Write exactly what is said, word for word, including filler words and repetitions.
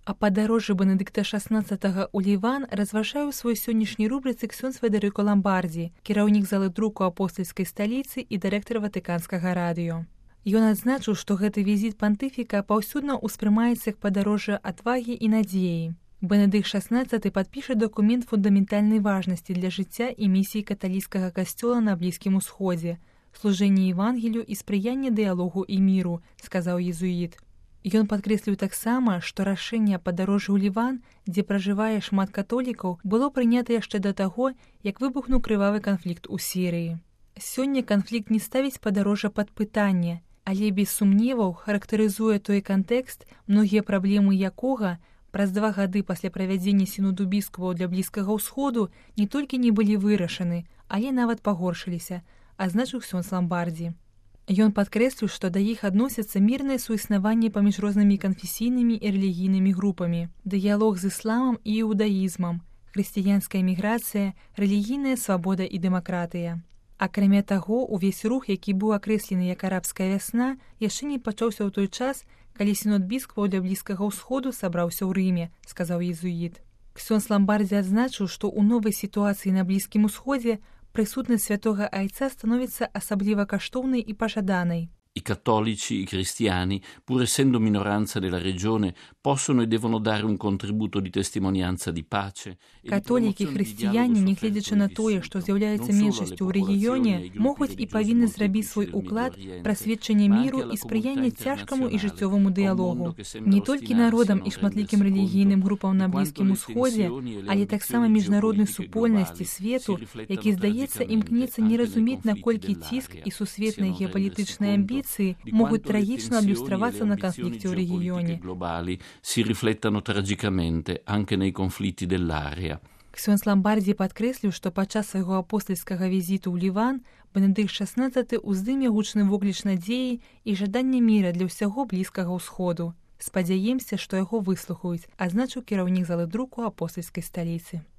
А падарожжы Бенедыкта шаснаццатага ў Ліван разважае ў свой сённяшняй рубрыцы ксёндз Федэрыка Ламбардзі, кіраўнік залы друку апостальскай сталіцы і дырэктар ватыканскага радыё. Ён адзначыў, што гэты візіт пантыфіка паўсюдна ўспрымаецца як падарожжа адвагі і надзеі. Бенедыкт шаснаццаты падпіша дакумент фундаментальнай важнасці для жыцця і місіі каталіцкага касцёла на Блізкім Усходзе, служэнне Евангелію і спрыянне дыялогу і міру, сказаў езуіт. Ён падкрэсліў таксама, што рашэнне падарожжа ў Ліван, дзе пражывае шмат католікаў, было прынята яшчэ да таго, як выбухнуў крывавы канфлікт у Сірыі. Сёння канфлікт не ставіць падарожжа пад пытанне, але без сумневаў характарызуе той кантэкст, многія праблемы якога праз два гады пасля правядзення сіноду біскупаў для Блізкага ўсходу не толькі не былі вырашаны, але нават пагоршыліся, адзначыў ксёндз Ламбардзі. Ён падкрэсліў, што да іх адносяцца мірнае суіснаванне паміж рознымі канфесійнымі і рэлігійнымі групамі, дыялог з ісламам і іудаізмам, хрысціянская міграцыя, рэлігійная свабода і дэмакратыя. Акрамя таго, увесь рух, які быў акрэслены як арабская вясна, яшчэ не пачаўся ў той час, калі сінод біскупаў для Блізкага ўсходу сабраўся ў Рыме, сказаў езуіт. Ксёндз Ламбардзі адзначыў, што ў новай сітуацыі на Блізкім Усходзе присутність святого Айця становиться особливо коштовною і пожаданою. I cattolici, i cristiani, pur essendo minoranza nella regione, possono e devono dare un contributo di testimonianza di pace. Католікі і хрысціяне, нягледзячы на тое, што з'яўляюцца меншасцю ў рэгіёне, могуць і павінны зрабіць свой уклад пра сведчанне міру і спрыяння цяжкаму і жыццёваму дыялогу. Не толькі народам і шматлікім рэлігійным групам на Блізкім Усходзе, але таксама міжнароднай супольнасці свету, які, здаецца, імкнецца не разумець, наколькі ціск і сусветныя геапалітычныя амбіцыі могут трагично иллюстрироваться на конфликте в регионе. Si riflettano tragicamente anche nei conflitti dell'area. Ксёндз Ламбардзі падкрэсліў, што падчас свайго апостальскага візіту ў Ліван Бенедыкт шаснаццаты ўздыме гучны вокліч надзеі і жадання міра для ўсяго Блізкага ўсходу. Спадзяемся, што яго выслухаюць, адзначыў кіраўнік залы друку апостальскай сталіцы.